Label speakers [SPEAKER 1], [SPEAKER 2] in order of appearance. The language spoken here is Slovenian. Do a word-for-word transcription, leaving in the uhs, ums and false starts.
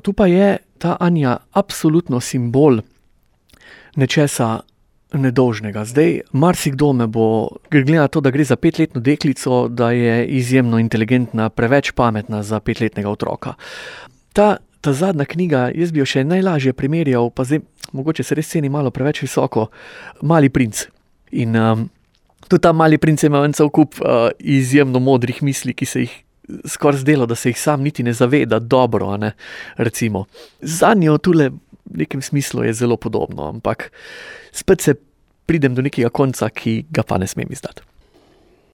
[SPEAKER 1] Tu pa je ta Anja absolutno simbol nečesa nedolžnega. Zdaj, marsikdo me bo, glede na to, da gre za petletno deklico, da je izjemno inteligentna, preveč pametna za petletnega otroka. Ta, ta zadnja knjiga, jaz bi jo še najlažje primerjal, pa zdaj, mogoče se res ceni malo preveč visoko, Mali princ. In um, tudi ta Mali princ je imel en cel kup uh, izjemno modrih misli, ki se jih skoraj zdelo, da se jih sam niti ne zaveda dobro, a ne, recimo. Zanjo tule v nekem smislu je zelo podobno, ampak spet se pridem do nekega konca, ki ga pa ne smem izdati.